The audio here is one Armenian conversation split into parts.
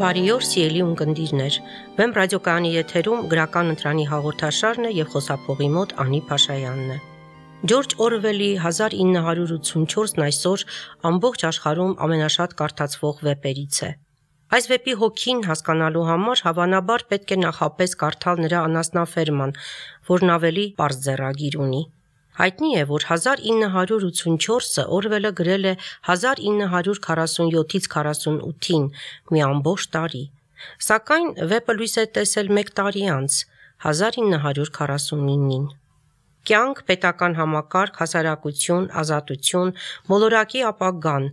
Բարի օր, սիրելի ունկնդիրներ։ Վեմ ռադիոկայանի եթերում գրական ընտրանի հաղորդաշարն է եւ խոսափողի մոտ Անի Փաշայանն է։ Ջորջ Օրվելի 1984-ն այսօր ամբողջ աշխարհում ամենաշատ կարդացվող վեպերից է։ Այս վեպի հոգին հասկանալու համար հավանաբար պետք է նախապես կարդալ նրա անասնաֆերման, որն ավելի պարզ ձեռագիր ունի։ Հայտնի է, որ 1984-ը Օրվելը գրել է 1947-ից 48-ին, մի ամբողջ տարի։ Սակայն վեպը լույս է տեսել մեկ տարի անց, 1949-ին։ Կյանք, պետական համակարգ, հասարակություն, ազատություն, մոլորակի ապագան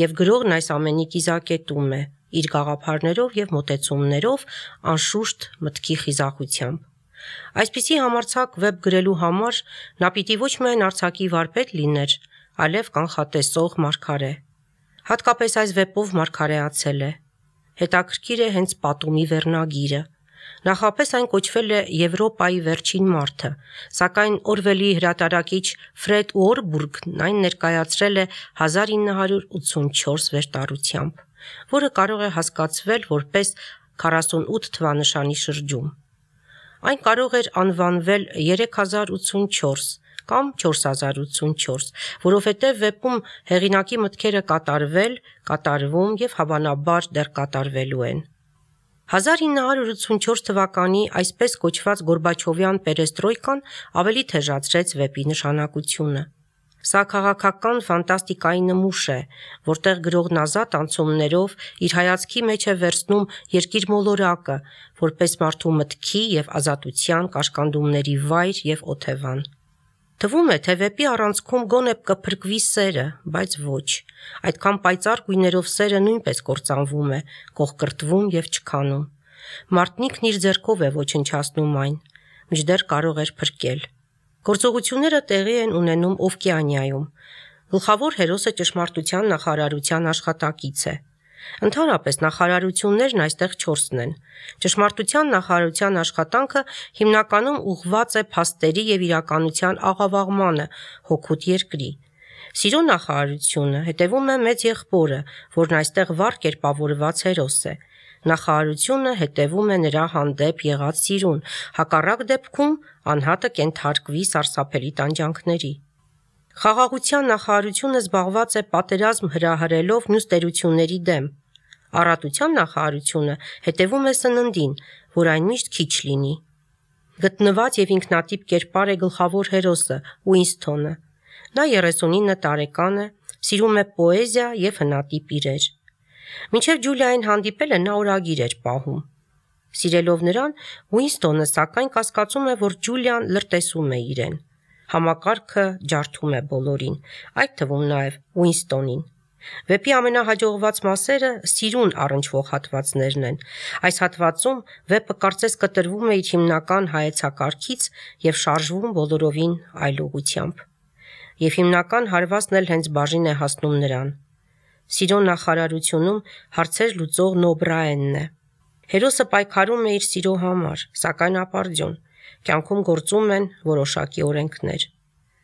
եւ գրողն այս ամենի կիզակետում է, իր գաղափարներով եւ մոտեցումներով, անշուշտ մտքի խիզախությամբ։ Այսպիսի համարձակ վեպ գրելու համար նա պիտի ոչ միայն արձակի վարպետ լիներ, այլև կանխատեսող մարգարե։ Հատկապես այս վեպով մարգարեացել է։ Հետաքրքիր է հենց պատումի վերնագիրը։ Նախապես այն կոչվել է Եվրոպայի վերջին մարդը, սակայն Օրվելի հրատարակիչ Ֆրեդ Ուորբուրգն այն ներկայացրել է 1984 վերտառությամբ, որը կարող է հասկացվել որպես 48 թվանշանի շրջում։ Այն կարող էր անվանվել 3084 կամ 4084, որովհետև վեպում հեղինակի մտքերը կատարվել, կատարվում եւ հավանաբար դեռ կատարվելու են։ 1984 թվականի այսպես կոչված Գորբաչովյան պերեստրոյկան ավելի թեժացրեց վեպի նշանակությունը։ Սա քաղաքական ֆանտաստիկայի նմուշ է, որտեղ գրողն ազատ անցումներով իր հայացքի մեջ է վերցնում երկիր մոլորակը, որպես մարդու մտքի եւ ազատության կաշկանդումների վայր եւ օթևան։ Թվում է, թե վեպի առանցքում գոնե կփրկվի սերը, բայց ոչ։ Այդքան պայծառ գույներով սերը նույնպես կործանվում է, կողկրտվում եւ չքանում։ Մարդնիքն իր ձեռքով է ոչնչացնում այն, մինչդեռ կարող էր փրկել։ Գործողությունները տեղի են ունենում Օվկիանիայում։ Գլխավոր հերոսը ճշմարտության նախարարության աշխատակից է։ Ընդհանրապես նախարարություններն այստեղ 4-ն են։ Ճշմարտության նախարարության աշխատանքը հիմնականում ուղղված է փաստերի եւ իրականության աղավաղմանը հօգուտ երկրի։ Սիրո նախարարությունը հետևում է մեծ եղբորը, որն այստեղ վառ կերպավորված հերոս է։ Նախարարությունը հետևում է նրա հանդեպ եղած սիրուն, հակառակ դեպքում անհատը կենթարկվի սարսափելի տանջանքների։ Խաղաղության նախարարությունը զբաղված է պատերազմ հրահրելով մյուս տերությունների դեմ։ Առատության նախարարությունը հետևում է սննդին, որ այն միշտ քիչ լինի։ Գտնված եւ ինքնատիպ կերպար է գլխավոր հերոսը Ուինսթոնը։ Նա 39 տարեկան է, սիրում է պոեզիա եւ հնատիպ իրեր։ Մինչև Ջուլիային հանդիպելը նա օրագիր էր պահում։ Սիրելով նրան, Ուինսթոնը սակայն կասկածում է, որ Ջուլիան լրտեսում է իրեն։ Համակարգը ջարդում է բոլորին, այդ թվում նաև Ուինսթոնին։ Վեպի ամենահաջողված մասերը սիրուն առնչվող հատվածներն են։ Այս հատվածում վեպը կարծես կտրվում է իր հիմնական հայեցակարգից եւ շարժվում բոլորովին այլ ուղղությամբ։ Եվ հիմնական հարվածն էլ հենց բաժին է հասնում նրան։ Սիրո նախարարությունում հարցեր լուծող Նոբրաենն է։ Հերոսը պայքարում է իր սիրո համար, սակայն ապարդյուն։ Կյանքում գործում են որոշակի օրենքներ։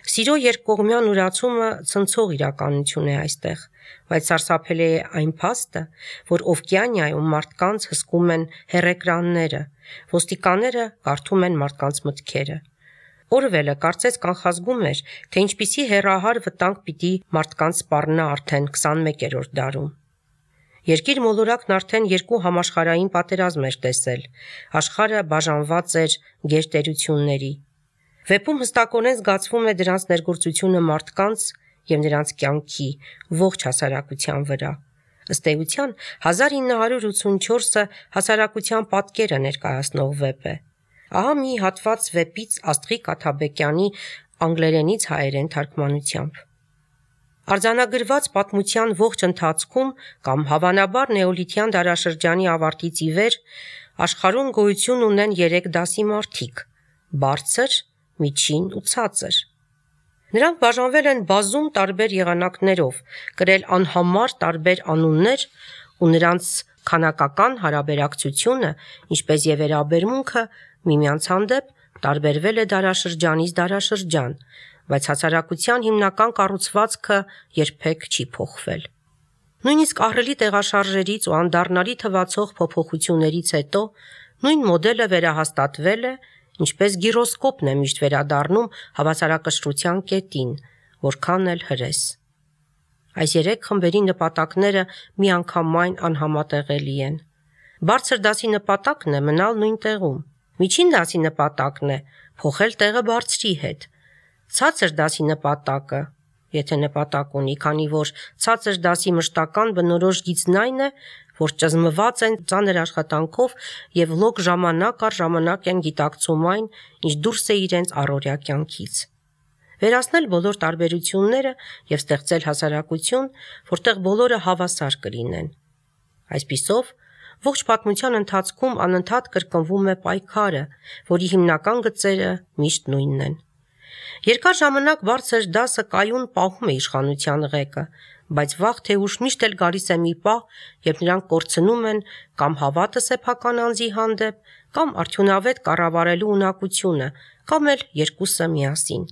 Սիրո երկկողմյան ուրացումը ցնցող իրականություն է այստեղ, բայց սարսափելի է այն փաստը, որ Օվկիանիայում մարդկանց հսկում են հեռեկրանները, ոստիկանները կարդում են մարդկանց մտքերը։ Օրվելը կարծես կանխազգում էր, թե ինչպիսի հեռահար վտանգ պիտի մարդկանց սպառնա արդեն 21-րդ դարում։ Երկիր մոլորակն արդեն 2 համաշխարհային պատերազմ էր տեսել, աշխարհը բաժանված էր գերտերությունների։ Վեպում հստակորեն զգացվում է դրանց ներգործությունը մարդկանց եւ նրանց կյանքի ողջ հասարակության վրա։ Ըստ էության 1984-ը հասարակության պատկերը ներկայացնող վեպ է։ Ահա մի հատված վեպից Աստղիկ Աթաբեկյանի անգլերենից հայերեն թարգմանությամբ։ Արձանագրված պատմության ողջ ընթացքում կամ հավանաբար նեոլիթյան դարաշրջանի ավարտից ի վեր աշխարհում գոյություն ունեն 3 դասի մարդիկ՝ բարձր, միջին ու ցածր։ Նրանք բաժանվել են բազում տարբեր եղանակներով, կրել անհամար տարբեր անուններ ու նրանց քանակական հարաբերակցությունը, ինչպես եւ վերաբերմունքը միմյանց հանդեպ տարբերվել է դարաշրջանից դարաշրջան, բայց հասարակության հիմնական կառուցվածքը երբեք չի փոխվել։ Նույնիսկ ահռելի տեղաշարժերից ու անդառնալի թվացող փոփոխություններից հետո նույն մոդելը վերահաստատվել է, ինչպես գիրոսկոպն է միշտ վերադառնում հավասարակշռության կետին, որքան էլ հրես։ Այս 3 խմբերի նպատակները միանգամայն անհամատեղելի են։ Բարձր դասի նպատակն է մնալ նույն տեղում։ Միջին դասի նպատակն է փոխել տեղը բարձրի հետ։ Ցածր դասի նպատակը, եթե նպատակ ունի, քանի որ ցածր դասի մշտական բնորոշ գիծն այն է, որ ճզմված են ծանր աշխատանքով եւ լոկ ժամանակ առ ժամանակ են գիտակցում այն, ինչ դուրս է իրենց առօրյա կյանքից։ Վերացնել բոլոր տարբերությունները եւ ստեղծել հասարակություն, որտեղ բոլորը հավասար կլինեն։ Այսպիսով, ողջ պատմության ընթացքում անընդհատ կրկնվում է պայքարը, որի հիմնական գծերը միշտ նույնն են։ Երկար ժամանակ բարձր դասը կայուն պահում է իշխանության ղեկը, բայց վաղ թե ուշ միշտ էլ գալիս է մի պահ, երբ նրանք կորցնում են կամ հավատը սեփական անձի հանդեպ, կամ արդյունավետ կառավարելու ունակությունը, կամ էլ երկուսը միասին։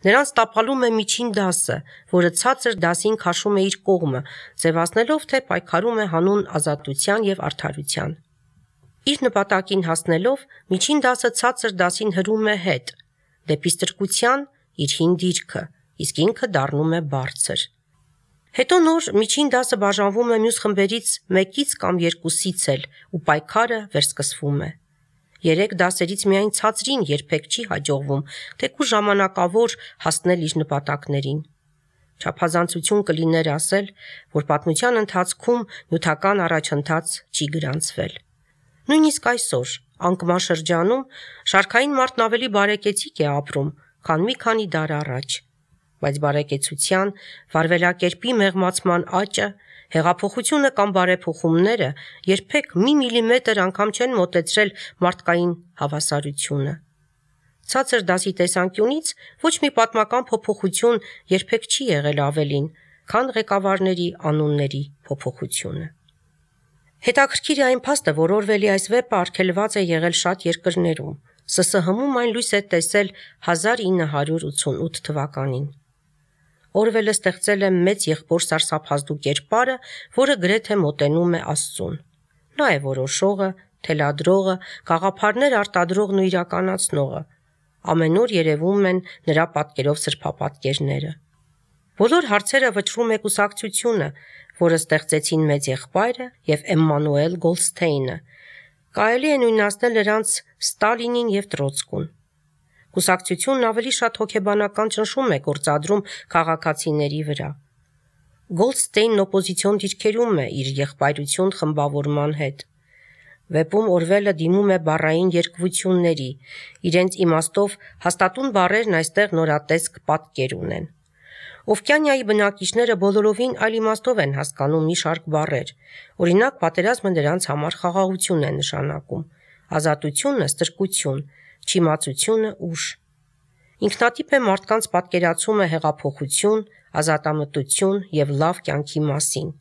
Նրանց տապալում է միջին դասը, որը ցածր դասին քաշում է իր կողմը, ձևացնելով, թե պայքարում է հանուն ազատության եւ արդարության։ Իր նպատակին հասնելով, միջին դասը ցածր դասին հրում է հետ, դեպի ստրկության իր հին դիրքը, իսկ ինքը դառնում է բարձր։ Հետո նոր միջին դասը բաժանվում է մյուս խմբերից մեկից կամ երկուսից էլ, ու պայքարը վերսկսվում է։ 3 դասերից միայն ցածրին երբեք չի հաջողվում, թեկուզ ժամանակավոր հասնել իր նպատակներին։ Չափազանցություն կլիներ ասել, որ պատմության ընթացքում նյութական առաջընթաց չի գրանցվել։ Նույնիսկ այսօր, անկման շրջանում, շարքային մարդն ավելի բարեկեցիկ է ապրում, քան մի քանի դար առաջ։ Բայց բարեկեցության, վարվելակերպի մեղմացման աճը, հեղափոխությունը կամ բարեփոխումները երբեք մի միլիմետր անգամ չեն մոտեցրել մարդկային հավասարությունը։ Ցածր դասի տեսանկյունից ոչ մի պատմական փոփոխություն երբեք չի եղել ավելին, քան ղեկավարների անունների փոփոխությունը։ Հետաքրքիր է այն փաստը, որ Օրվելի այս վեպը արգելված է եղել շատ երկրներում։ ՍՍՀ-ում այն լույս է տեսել 1988 թվականին։ Օրվելը ստեղծել է մեծ եղբոր սարսափազդու կերպարը, որը գրեթե մոտենում է Աստծուն։ Նա է որոշողը, թելադրողը, գաղափարներ արտադրողն ու իրականացնողը։ Ամեն օր երևում են նրա պատկերով սրբապատկերները։ Բոլոր հարցերը վճռում է կուսակցությունը, որը ստեղծեցին մեծ եղբայրը եւ Էմմանուել Գոլդստեյնը։ Կարելի է նույնացնել նրանց Ստալինին եւ Տրոցկուն։ Կուսակցությունն ավելի շատ հոգեբանական ճնշում է գործադրում քաղաքացիների վրա։ Գոլդստեյնն օպոզիցիոն դիրքերում է իր եղբայրություն խմբավորման հետ։ Վեպում Օրվելը դիմում է բառային երկվությունների, իրենց իմաստով հաստատուն բառերն այստեղ նորատեսկ պատկեր ունեն։ Օվկիանիայի բնակիչները բոլորովին այլ իմաստով են հասկանում մի շարք բառեր։ Օրինակ, պատերազմը նրանց համար խաղաղություն է նշանակում, ազատությունը ստրկություն, չիմացությունը ուժ։ Ինքնատիպ է մարդկանց պատկերացումը հեղափոխություն, ազատամտություն եւ լավ կյանքի մասին։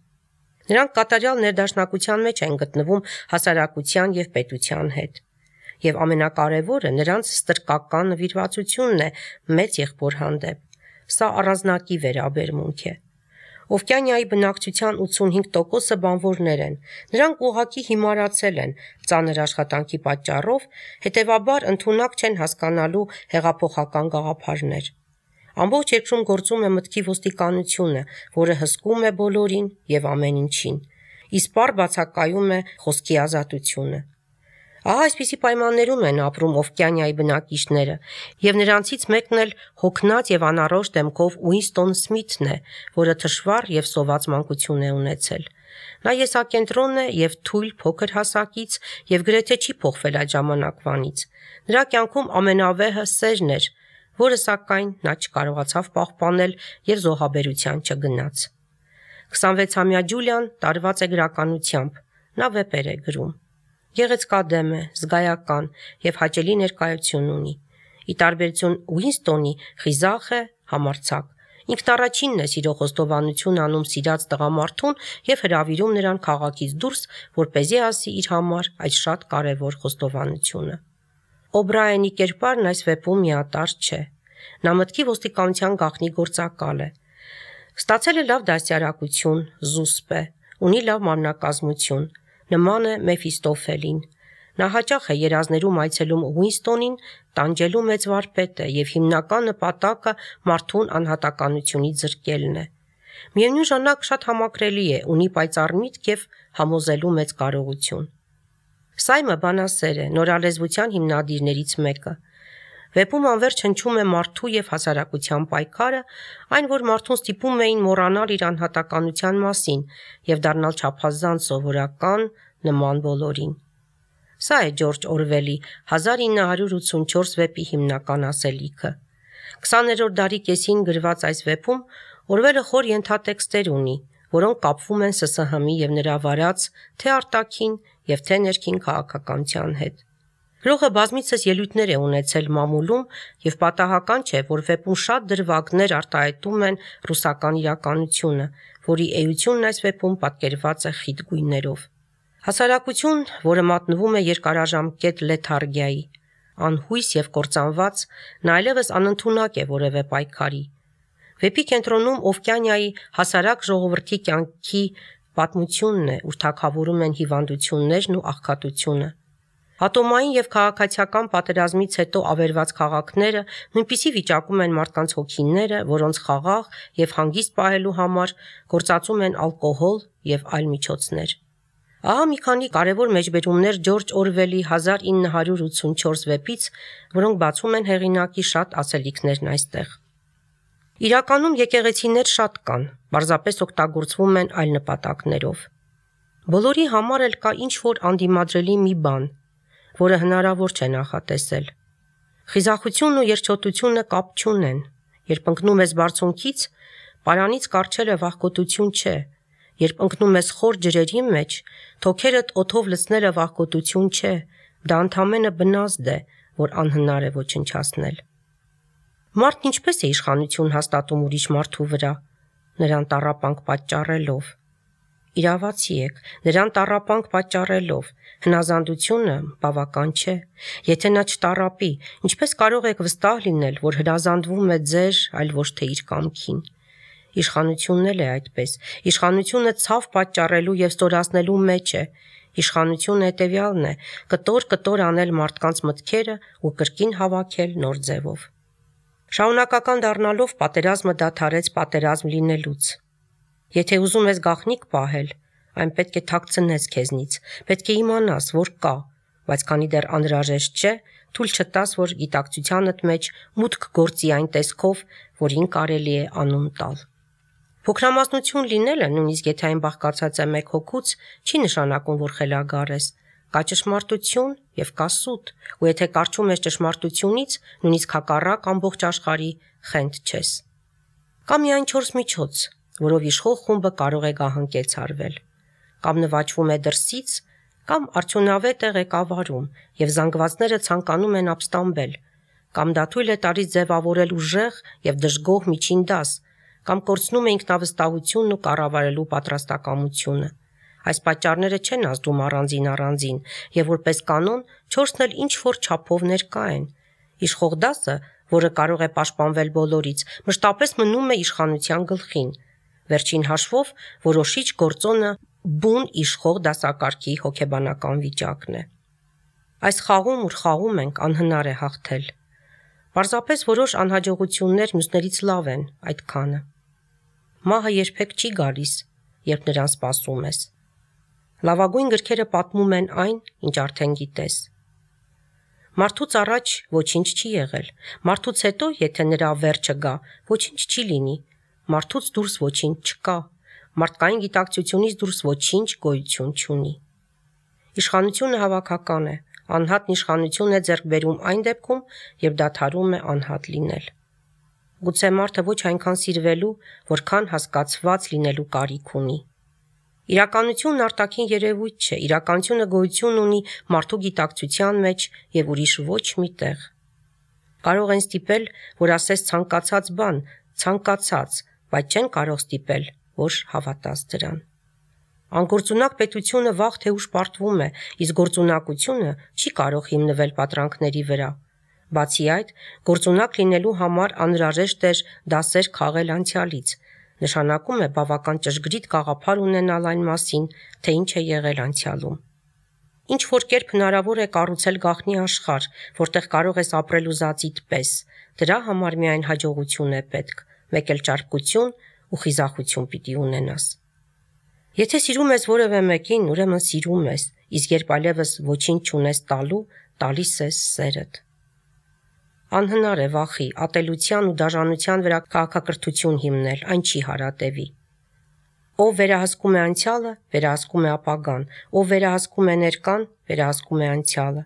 Նրանք կատարյալ ներդաշնակության մեջ են գտնվում հասարակության եւ պետության հետ։ Եվ ամենակարևորը նրանց ստրկական նվիրվածությունն է մեծ եղբոր հանդեպ։ Սա առանձնակի վերաբերմունք է։ Օվկիանիայի բնակչության 85%-ը բանվորներ են։ Նրանք ուղղակի հիմարացել են ծանր աշխատանքի պատճառով, հետևաբար ընդունակ չեն հասկանալու հեղափոխական գաղափարներ։ Ամբողջ երկրում գործում է մտքի ոստիկանությունը, որը հսկում է բոլորին եւ ամեն ինչին։ Իսպառ բացակայում է խոսքի ազատությունը։ Ահա այսպիսի պայմաններում են ապրում Օվկիանիայի բնակիչները, եւ նրանցից մեկն էլ հոգնած եւ անառողջ դեմքով Ուինստոն Սմիթն է, որը թշվառ եւ սոված մանկություն է ունեցել։ Նա եսակենտրոն է եւ թույլ փոքր հասակից եւ գրեթե չի փոխվել այդ ժամանակվանից։ Նրա կյանքում ամենավեհը սերն էր, որը սակայն նա չկարողացավ պահպանել եւ զոհաբերության չգնաց։ 26-ամյա Ջուլիան տարված է գրականությամբ, նա վեպեր է գրում։ Գեղեցկադեմ է, զգայական եւ հաճելի ներկայություն ունի։ Ի տարբերություն Ուինստոնի, խիզախ է, համարձակ։ Ինքն առաջինն է սիրո խոստովանություն անում սիրած տղամարդուն եւ հրավիրում նրան քաղաքից դուրս, որպեսզի ասի իր համար այդ շատ կարեւոր խոստովանությունը։ Օբրայենի կերպարն այս վեպում միատարր չէ։ Նա մտքի ոստիկանության գաղտնի գործակալ է։ Ստացել է լավ դաստիարակություն, զուսպ է, ունի լավ մարմնակազմություն, նման է Մեֆիստոֆելին։ Նա հաճախ է երազներում այցելում Ուինստոնին, տանջելու մեծ վարպետ է և հիմնական նպատակը մարդուն անհատականությունից զրկելն է։ Միևնույն ժամանակ շատ համակրելի է, ունի պայծառ միտք և համոզելու մեծ կարողություն։ Սայմը բանասեր է, նորալեզվության հիմնադիրներից մեկը։ Վեպում անվերջ հնչում է մարդու և հասարակության պայքարը, այն, որ մարդուն ստիպում էին մոռանալ իր անհատականության մասին և դառնալ չափազանց սովորական, նման բոլորին։ Սա է Ջորջ Օրվելի 1984 վեպի հիմնական ասելիքը։ 20-րդ դարի կեսին գրված այս վեպում Օրվելը խոր ենթատեքստեր ունի, որոնք կապվում են ՍՍՀՄ-ի և նրա վարած թե արտաքին և թե ներքին քաղաքականության հետ։ Գրողը բազմիցս ելույթներ է ունեցել մամուլում և պատահական չէ, որ վեպում շատ դրվագներ արտահայտում են ռուսական իրականությունը, որի էությունն այս վեպում պատկերված է խիտ գույներով։ Հասարակություն, որը մատնվում է երկարաժամկետ լեթարգիայի, անհույս և կործանված, նա այլևս անընդունակ է որևէ պայքարի։ Վեպի կենտրոնում Օվկիանիայի հասարակ ժողովրդի կյանքի պատմությունն է, ուր թագավորում են հիվանդություններն ու աղքատությունը։ Ատոմային և քաղաքացիական պատերազմից հետո ավերված քաղաքները նույնպիսի վիճակում են մարդկանց հոգիները, որոնց խաղաղ և հանգիստ պահելու համար գործածում են ալկոհոլ և այլ միջոցներ։ Ահա մի քանի կարևոր մեջբերումներ Ջորջ Օրվելի 1984 վեպից, որոնք բացում են հեղինակի շատ ասելիքներն այստեղ։ Իրականում եկեղեցիներ շատ կան, պարզապես օգտագործվում են այլ նպատակներով։ Բոլորի համար էլ կա ինչ-որ անդիմադրելի մի բան, որը հնարավոր չէ նախատեսել։ Խիզախությունն ու երջոտությունը կապ չունեն։ Երբ ընկնում ես բարձունքից, պարանից կառչելը վախկոտություն չէ։ Երբ ընկնում ես խոր ջրերի մեջ, թոքերդ օդով լցնելը վախկոտություն չէ, դա ընդամենը բնազդ է, որ անհնար է ոչնչացնել։ Մարդն ինչպես է իշխանություն հաստատում ուրիշ մարդու վրա, նրան տառապանք պատճառելով։ Իրավացի եք, նրան տառապանք պատճառելով, հնազանդությունը բավական չէ։ Եթե նա չտառապի, ինչպես կարող եք վստահ լինել, որ հրազանդվում է ձեր, այլ ոչ թե իր կամքին։ Իշխանությունն էլ է այդպես։ Իշխանությունը ցավ պատճառելու և ստորացնելու մեջ է։ Իշխանությունը հետևյալն է՝ կտոր անել մարդկանց մտքերը ու կրկին հավաքել նոր ձևով։ Շարունակական դառնալով պատերազմը դադարեց պատերազմ լինելուց։ Եթե ուզում ես գաղտնիք պահել, այն պետք է թաքցնես քեզնից, պետք է իմանաս, որ կա, բայց քանի դեռ անհրաժեշտ չէ, թույլ չտաս, որ գիտակցությանդ մեջ մուտք գործի այն տեսքով, որին կարելի է անուն տալ։ Փոքրամասնություն լինելը, նույնիսկ եթե այն բաղկացած է մեկ հոգուց, չի նշանակում, որ խելագար ես։ Կա ճշմարտություն և կա սուտ, ու եթե կառչում ես ճշմարտությունից, նույնիսկ հակառակ ամբողջ աշխարհի, խենթ չես։ Կա միայն 4 միջոց, որով իշխող խումբը կարող է գահընկեցարվել։ Կամ նվաճվում է դրսից, կամ արդյունավետ է ղեկավարում, և զանգվածները ցանկանում են ապստամբել, կամ դա թույլ է տալիս ձևավորել ուժեղ և դժգոհ միջին դաս, կամ կորցնում է ինքնավստահությունն ու կառավարելու պատրաստակամությունը։ Այս պատճառները չեն ազդում առանձին, և որպես կանոն 4-ն էլ ինչ-որ չափով ներկա են։ Իշխող դասը, որը կարող է պաշտպանվել բոլորից, մշտապես մնում է իշխանության գլխին։ Վերջին հաշվով որոշիչ գործոնը բուն իշխող դասակարգի հոգեբանական վիճակն է։ Այս խաղում, ուր խաղում ենք, անհնար է հաղթել։ Պարզապես որոշ անհաջողություններ մյուսներից լավ են, այդքանը։ Մահը երբեք չի գալիս, երբ նրան սպասում ես։ Լավագույն գրքերը պատմում են այն, ինչ արդեն գիտես։ Մարդուց առաջ ոչինչ չի եղել, մարդուց հետո, եթե նրա վերջը գա, ոչինչ չի լինի, մարդուց դուրս ոչինչ չկա, մարդկային գիտակցությունից դուրս ոչինչ գոյություն չունի։ Իշխանությունը հավաքական է, անհատն իշխանություն է ձեռք բերում այն դեպքում, երբ դադարում է անհատ լինել։ Գուցե մարդը ոչ այնքան սիրվելու, որքան հասկացված լինելու կարիք ունի։ Իրականությունն արտաքին երևույթ չէ, իրականությունը գոյություն ունի մարդու գիտակցության մեջ և ուրիշ ոչ մի տեղ։ Կարող են ստիպել, որ ասես ցանկացած բան, ցանկացած, բայց չեն կարող ստիպել, որ հավատաս դրան։ Անգործունակ պետությունը վաղ թե ուշ պարտվում է, իսկ գործունակությունը չի կարող հիմնվել պատրանքների վրա։ Բացի այդ, գործունակ լինելու համար անհրաժեշտ էր դասեր քաղել անցյալից, նշանակում է բավական ճշգրիտ գաղափար ունենալ այն մասին, թե ինչ է եղել անցյալում։ Ինչ որ կերպ հնարավոր է կառուցել գաղտնի աշխարհ, որտեղ կարող ես ապրել ուզածիդ պես, դրա համար միայն հաջողություն է պետք, մեկ էլ ճարպկություն ու խիզախություն պիտի ունենաս։ Եթե սիրում ես որևէ մեկին, ուրեմն սիրում ես, իսկ երբ այլևս ոչինչ չունես տալու, տալիս ես սերդ։ Անհնար է վախի, ատելության ու դաժանության վրա քաղաքակրթություն հիմնել, այն չի հարատևի։ Ով վերահսկում է անցյալը, վերահսկում է ապագան, ով վերահսկում է ներկան, վերահսկում է անցյալը։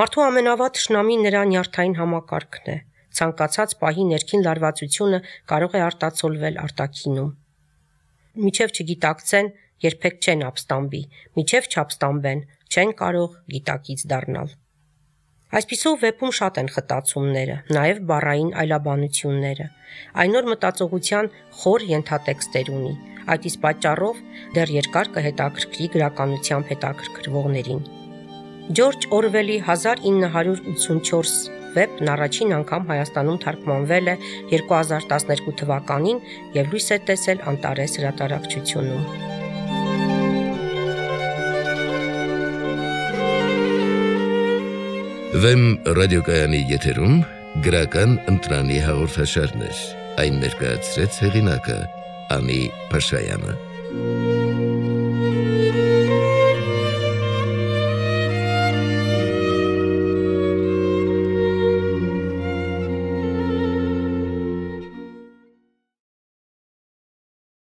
Մարդու ամենավատ թշնամին նրա նյարդային համակարգն է։ Ցանկացած պահի ներքին լարվածությունը կարող է արտացոլվել արտաքինում։ Միջև չգիտակցեն, երբեք չեն ապստամբի, միջև չապստամբեն, չեն կարող գիտակից դառնալ։ Այսպիսով վեպում շատ են խտացումները, նաև բառային այլաբանությունները։ Այն նոր մտածողության խոր ենթատեքստեր ունի, այդ իսկ պատճառով դեռ երկար կհետաքրքրի գրականությամբ հետաքրքրվողներին։ Ջորջ Օրվելի 1984 վեպն առաջին անգամ Հայաստանում թարգմանվել է 2012 թվականին և լույս է տեսել Անտարես հրատարակչությունում։ Վեմ ռադիոկայանի եթերում գրական ընտրանի հաղորդաշարներ, այն ներկայացրեց հեղինակը Անի Փաշայանը։